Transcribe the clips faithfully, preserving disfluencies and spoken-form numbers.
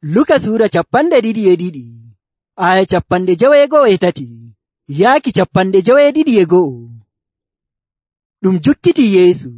Luka Sura capanɗe ɗiɗi e ɗiɗi aya capanɗe jewego'o e tati yaaki capanɗe jeweɗiɗi e go'o. Ɗum jukkiti Yeesu,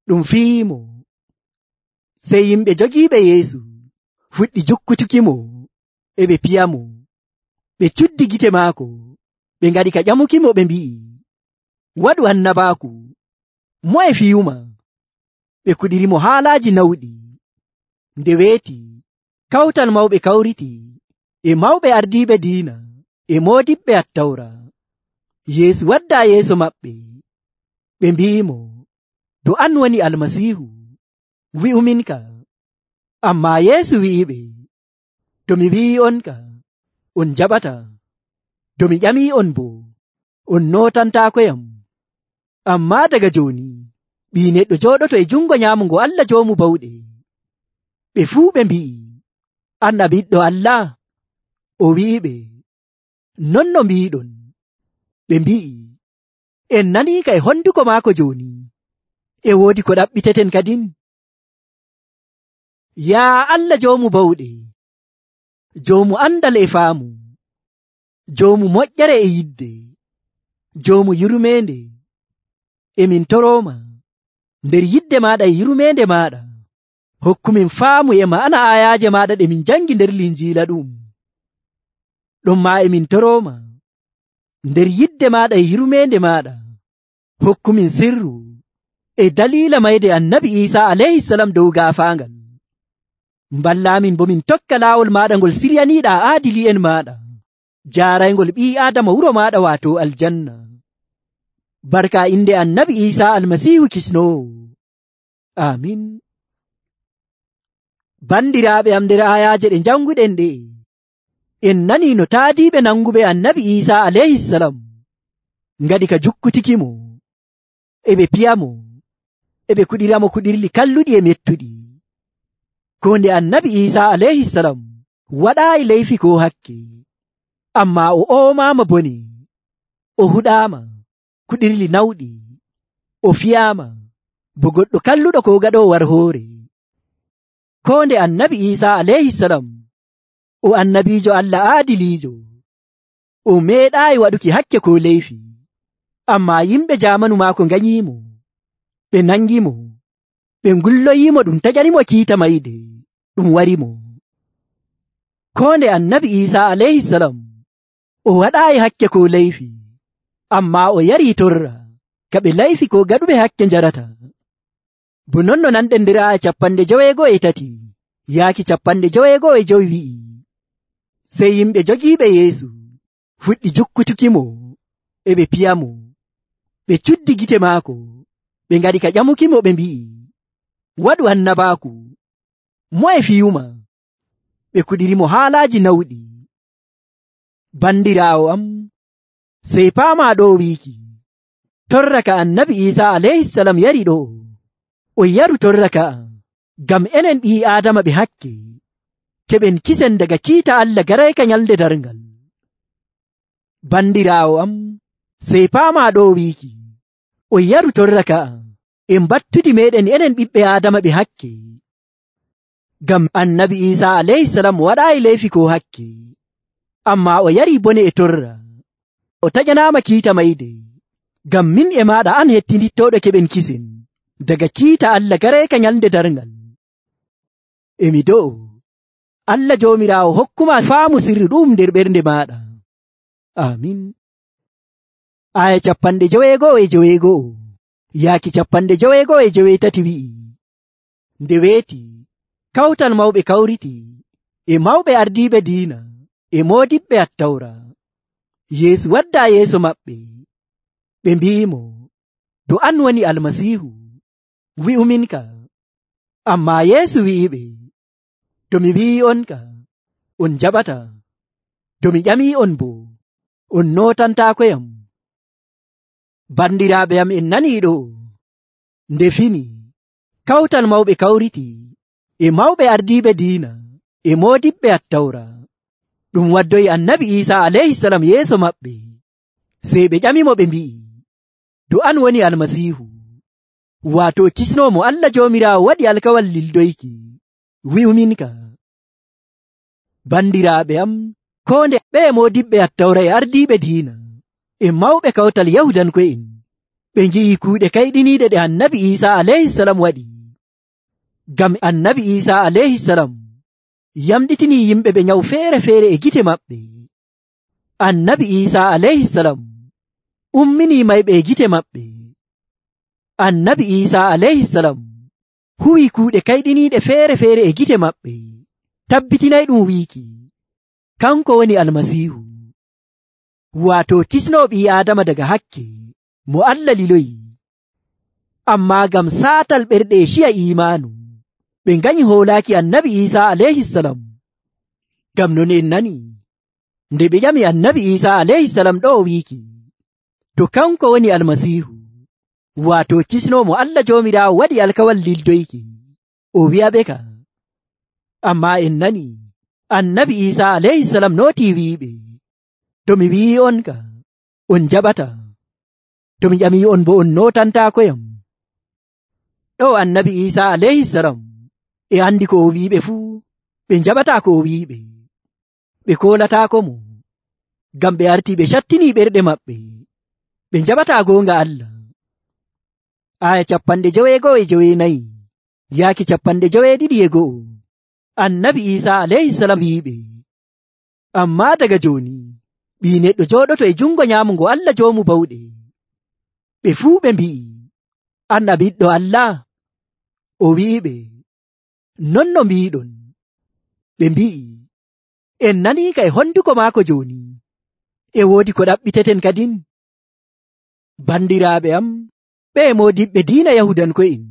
ɗum fiimo. Sey yimɓe jogiiɓe Yeesu fuɗɗi jukkutukimo e ɓe piyamo. Ɓe cuddi gite maako, ɓe ngaɗi ka ƴamukimo, ɓe mbi'i, waɗu annabaaku, moye fiyuma? Ɓe kuɗirimo haalaaji nawɗi. Nde weeti kawtal mawɓe kawriti e mawɓe ardiiɓe diina e moodiɓɓe Attawra. Yeesu waddaa yeeso maɓɓe. Ɓe mbi'imo, to an woni Almasiihu, wi'uminka. Ammaa Yeesu wi'iɓe, to mi wi'i'onka, on jaɓata. To mi ƴamii'on boo, on nootantaakoyam. Ammaa daga jooni Ɓii Neɗɗo jooɗoto e jungo nyaamungo Allah Joomu Bawɗe. Ɓe fuu ɓe mbi'i, an a Ɓiɗɗo Allah? O wi'iɓe, non no mbi'iɗon. Ɓe mbi'i, en naniika e honduko maako jooni. E woodi ko ɗaɓɓiteten kadin. Yaa Allah Joomu Bawɗe, Joomu andal e faamu, Joomu moƴƴere e yidde, Joomu yurmeende, emin torooma nder yidde maaɗa e yurmeende maaɗa. Hokkumin faamu e ma'ana ayaaje maaɗa ɗe min jangi nder Linjiila ɗum. Ɗonmaa emin torooma nder yidde maaɗa e yurmeende maaɗa. Hokkumin sirru e daliila mayde Annabi Iisaa alayhisalam dow gaafaangal. Mballaamin bo min tokka laawol maaɗa ngol siryaniiɗaa aadili'en maaɗa, jaaraygol ɓii Aadama wuro maaɗa waato aljanna. Barka inde Annabi Iisaa Almasiihu Kisnoowo. Aamin. Bandiraaɓe am, nder ayaaje ɗe janguɗen ɗe, en nanii no taadiiɓe nanguɓe Annabi Iisaa alayhisalam ngaɗi ka jukkutikimo, e ɓe piyamo, e ɓe kuɗiramo kuɗirli kalluɗi e mettuɗi. Ko nde Annabi Iisaa alayhisalam waɗaayi leyfi ko hakke, ammaa o oomaama bone, o huɗaama kuɗirli nawɗi, o fiyaama bo goɗɗo kalluɗo ko gaɗoo war hoore. Ko nde Annabi Iisaa alayhisalam o annabiijo Allah aadiliijo, o meeɗaayi waɗuki hakke ko leyfi, ammaa yimɓe jaamanu maako nganyiimo, ɓe nangimo, ɓe ngulloyiimo ɗum taƴanimo kiita mayde ɗum warimo. Ko nde Annabi Iisaa alayhisalam o waɗaayi hakke ko leyfi, ammaa o yarii torra ka ɓe layfi ko gaɗuɓe hakke njarata. Bo non no nanɗen nder aya capanɗe jeweego'o e tati yaaki capanɗe jeweego'o e jowi wi'i, sey yimɓe jogiiɓe Yeesu fuɗɗi jukkutukimo e ɓe piyamo. Ɓe cuddi gite maako, ɓe ngaɗi ka ƴamukimo, ɓe mbi'i, waɗu annabaaku, moye fiyuma? Ɓe kuɗirimo haalaaji nawɗi. Bandiraawo am, sey paamaa ɗo wiiki, torra ka Annabi Iisaa alayhisalam yari ɗo, o yaru torra ka'a ngam enen ɓii Aadama ɓe hakke keɓen kisen daga kiita Allah garayka nyalde darngal. Bandiraawo am, sey paamaa ɗo wiiki, o yaru torra ka'a en battudi meɗen enen ɓiɓɓe Aadama ɓe hakke, ngam Annabi Iisaa alayhisalam waɗaayi leyfi ko hakke, ammaa o yari bone e torra, o taƴanaama kiita mayde, ngam min e maaɗa an hettinittooɗo keɓen kisen daga kiita Allah garayka nyalde darngal. Emi do'o Allah Joomiraawo hokkuma faamu sirru ɗum nder ɓernde maaɗa. Amin. Aya capanɗe jeweego'o e jeweego'o yaaki capanɗe jeweego'o e jeweetati wi'i, nde weeti kawtal mawɓe kawriti e mawɓe ardiiɓe diina e moodiɓɓe Attawra. Yeesu waddaa yeeso maɓɓe. Ɓe mbi'imo, to an woni Almasiihu, wi'uminka. Ammaa Yeesu wi'iɓe, to mi wi'i'onka, on jaɓata. To mi ƴamii'on boo, on nootantaakoyam. Bandiraaɓe am, en nanii ɗo, nde fini kawtal mawɓe kawriti e mawɓe ardiiɓe diina e moodiɓɓe Attawra. Ɗum waddoyi Annabi Iisaa alayhisalam yeeso maɓɓe. Sey ɓe ƴamimo, ɓe mbi'i, to an woni Almasiihu, waato kisnoomo Allah Joomiraawo waɗi alkawal lildoyki, wi'uminka. Bandiraaɓe am, koo nde ɓe moodiɓɓe attawra e ardiiɓe diina e mawɓe kawtal Yahudanko'en ɓe ngi'i kuuɗe kayɗiniiɗe ɗe annabi Iisaa alayhisalam waɗi. Ngam annabi Iisaa alayhisalam yamɗitinii yimɓe ɓe nyawu feere-feere e gite maɓɓe. Annabi Iisaa alayhisalam umminii mayɓe e gite maɓɓe. Annabi Iisaa alayhisalam huwii kuuɗe kayɗiniiɗe feere-feere e gite maɓɓe, tabbitinay ɗum wiiki kanko woni almasiihu, waato kisnoo ɓii Aadama daga hakke mo Allah liloyi. Ammaa ngam saatal ɓerɗe e ciya iimaanu ɓe nganyi hoolaaki annabi Iisaa alayhisalam. Ngam non en nani nde ɓe ƴami annabi Iisaa alayhisalam ɗo wiiki to kanko woni almasiihu, waato kisnoo mo Allah Joomiraawo waɗi alkawal lildoyki, o wi'aɓe ka. Ammaa en nani annabi Iisaa alayhisalam nootii wi'iɓe, to mi wi'i on ka on jaɓata, to mi ƴamii on bo on nootantaakoyam. Ɗo annabi Iisaa alayhisalam e andi ko o wi'iɓe fuu ɓe njaɓataa ko o wi'iɓe, ɓe koolataako mo, ngam ɓe artii ɓe cattinii ɓerɗe maɓɓe, ɓe njaɓataa goonga Allah. Aya capanɗe joweego'o e joweenayi yaaki capanɗe joweeɗiɗi e go'o. Annabi Iisaa alayhisalam wi'iɓe, ammaa daga jooni ɓii neɗɗo jooɗoto e jungo nyaamungo Allah joomu bawɗe. Ɓe fuu ɓe mbi'i, an a ɓiɗɗo Allah? O wi'iɓe, non no mbi'iɗon. Ɓe mbi'i, en naniika e honduko maako jooni, e woodi ko ɗaɓɓiteten kadin. Bandiraaɓe am, ɓe moodiɓɓe diina Yahudanko'en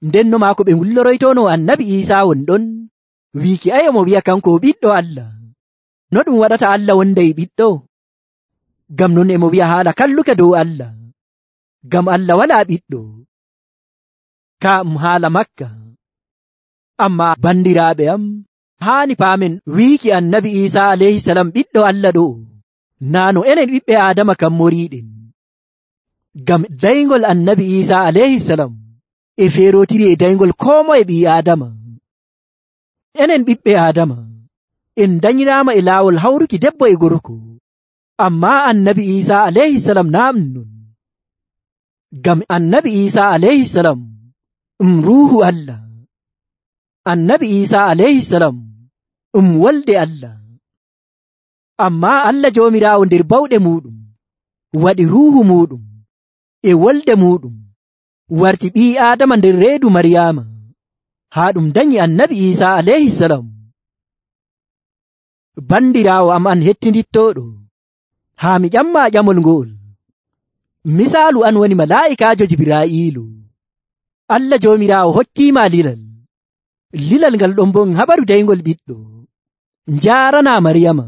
ndenno maako ɓe ngulloroytono annabi Iisaa won ɗon wiiki ayo mo wi'a kanko o ɓiɗɗo Allah. No ɗum waɗata Allah wonday ɓiɗɗo? Ngam non e mo wi'a haala kalluka dow Allah, ngam Allah walaa ɓiɗɗo. Ka um haala makka. Ammaa bandiraaɓe am, haani paamen wiiki annabi Iisaa alayhisalam ɓiɗɗo Allah ɗo naa no enen ɓiɓɓe Aadama kam moriiɗen. Ngam dayngol annabi Iisaa alayhisalam e feerotiri e dayngol koo moye ɓii Aadama. Enen ɓiɓɓe Aadama en danyiraama e laawol hawruki debbo e gorko, ammaa annabi Iisaa alayhisalam naa ɗum non. Ngam annabi Iisaa alayhisalam ɗum ruuhu Allah. Annabi Iisaa alayhisalam ɗum wolde Allah. Ammaa Allah Joomiraawo nder bawɗe muuɗum waɗi ruuhu muuɗum e wolde muuɗum warti ɓii Aadama nder reedu Maryaama, haa ɗum danyi annabi Iisaa alayhisalam. Bandiraawo am an hettindittooɗo, haa mi ƴammaa ƴamol ngol. Misaalu an woni malaa'ikaajo Jibraa'iilu. Allah Joomiraawo hokkiima lilal. Lilal ngal ɗon bon habaru dayngol ɓiɗɗo. Njaaranaa Maryama.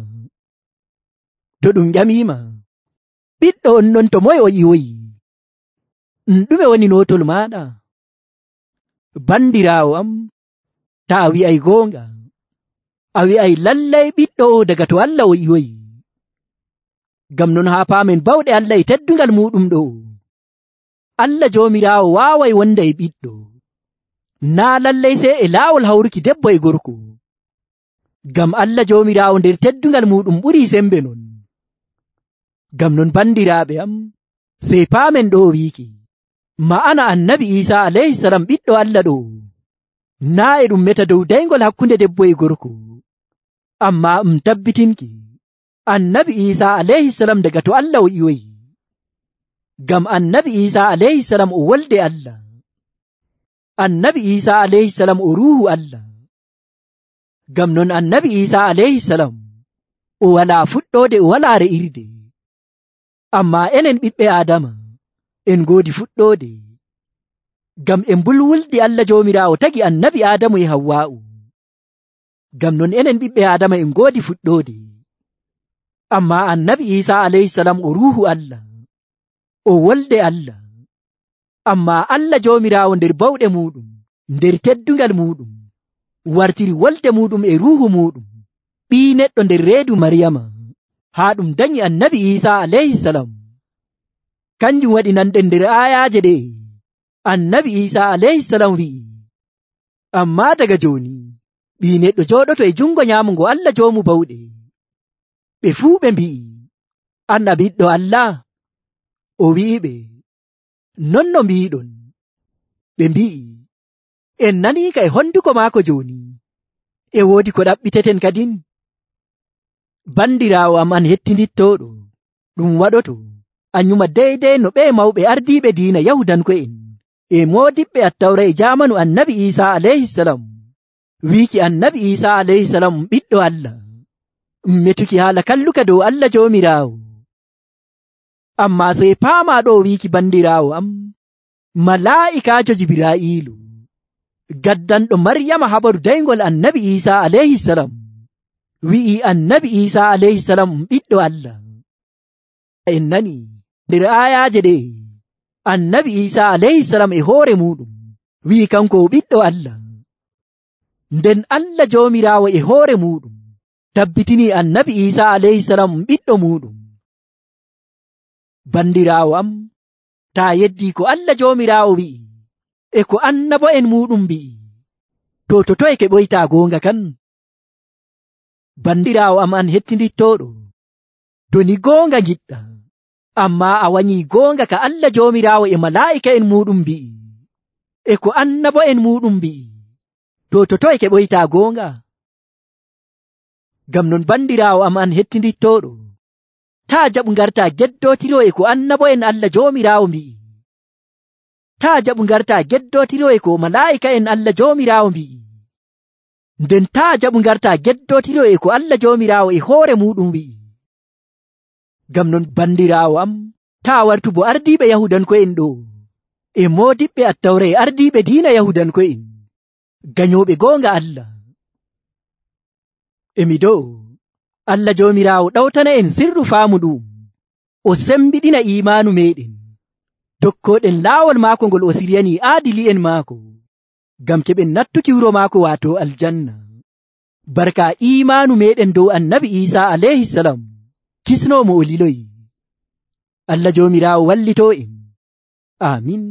To ɗum ƴamiima, ɓiɗɗo on non to moye o ƴiwoyi? Ɗume woni nootol maaɗa? Bandiraawo am, ta a wi'ay goonga, a wi'ay lallay ɓiɗɗo o daga to Allah o ƴiwoyi. Ngam non haa paamen bawɗe Allah e teddungal muuɗum ɗo, Allah Joomiraawo waaway wonda e ɓiɗɗo, naa lallay sey e laawol hawruki debbo e gorko. Ngam Allah Joomiraawo nder teddungal muuɗum ɓurii sembe non. Ngam non bandiraaɓe am, sey paamen ɗo wiiki ma'ana annabi Iisaa alayhisalam ɓiɗɗo Allah ɗo naa e ɗum meta dow dayngol hakkunde debbo e gorko, ammaa um tabbitinki annabi Iisaa alayhisalam daga to Allah o ƴiwoyi. Ngam annabi Iisaa alayhisalam o wolde Allah. Annabi Iisaa alayhisalam o ruuhu Allah. Ngam non annabi Iisaa alayhisalam o walaa fuɗɗoode, o walaa re'irde. Ammaa enen ɓiɓɓe Aadama en ngoodi fuɗɗoode. Ngam e mbulwuldi Allah Joomiraawo tagi annabi Aadamu e Hawwaa'u. Ngam non enen ɓiɓɓe Aadama en ngoodi fuɗɗoode. Ammaa annabi Iisaa alayhisalam o ruuhu Allah, o wolde Allah. Ammaa Allah Joomiraawo nder bawɗe muuɗum, nder teddungal muuɗum, wartiri wolde muuɗum e ruuhu muuɗum, ɓii neɗɗo nder reedu Maryama, haa ɗum danyi annabi Iisaa alayhisalam. Kanjum waɗi nanɗen nder aayaaje ɗe annabi Iisaa alayhisalam wi'i, ammaa daga jooni ɓii neɗɗo jooɗoto e jungo nyaamugo Allah joomu bawɗe. Ɓe fuu ɓe mbi'i, an a ɓiɗɗo Allah? O wi'iɓe, non no mbi'iɗon. Ɓe mbi'i, en naniika e honduko maako jooni, e woodi ko ɗaɓɓiteten kadin. Bandiraawo am an hettindittooɗo, ɗum waɗoto a nyuma deydey no ɓe mawɓe ardiiɓe diina Yahudanko'en e moodiɓɓe Attawra e jaamanu Annabi Iisaa alayhisalam wiiki Annabi Iisaa alayhisalam um ɓiɗɗo Allah, metuki haala kalluka dow Allah Joomiraawo. Ammaa sey paamaa ɗo wiiki bandiraawo am, malaa'ikaajo Jibraa'iilu gaddanɗo Maryama habaru daygol Annabi Iisaa alayhisalam wi'i Annabi Iisaa alayhisalam um ɓiɗɗo Allah. En nani nder aayaaje ɗe Annabi Iisaa alayhisalam e hoore muɗum wi'i kanko o ɓiɗɗo Allah. Nden Allah Joomiraawo e hoore muɗum tabbitini Annabi Iisaa alayhisalam um ɓiɗɗo muɗum. Bandiraawo am, taa yeddii ko Allah Joomiraawo wi'i e ko annabo'en muɗum mbi'i, to to toye keɓoytaa goonga kan? Bandiraawo am an hettindittooɗo, to ni goonga giɗɗa, ammaa a wanyii goonga ka Allah Joomiraawo e malaa'ika'en muɗum mbi'i e ko annabo'en muɗum mbi'i, to to toye keɓoytaa goonga? Ngam non bandiraawo am an hettindittooɗo, taa jaɓu ngartaa geddootiroo e ko annabo'en Allah Joomiraawo mbi'i. Taa jaɓu ngartaa geddootiroo e ko malaa'ika'en Allah Joomiraawo mbi'i. Nden taa jaɓu ngartaa geddootiroo e ko Allah Joomiraawo e hoore muɗum wi'i. Ngam non bandiraawo am, taa wartu bo ardiiɓe Yahudanko'en ɗo e moodiɓɓe Attawra e ardiiɓe diina Yahudanko'en ganyooɓe goonga Allah. Emi dow Allah Joomiraawo ɗawtana en sirru faamu ɗum, o sembiɗina iimaanu meeɗen, tokkooɗen laawol maako ngol o siryanii aadili'en maako, ngam keɓen nattuki wuro maako waato aljanna. Barka iimaanu meeɗen dow Annabi Iisaa alayhisalam, kisnoomo o liloyi. Allah Joomiraawo wallitoo en. Aamin.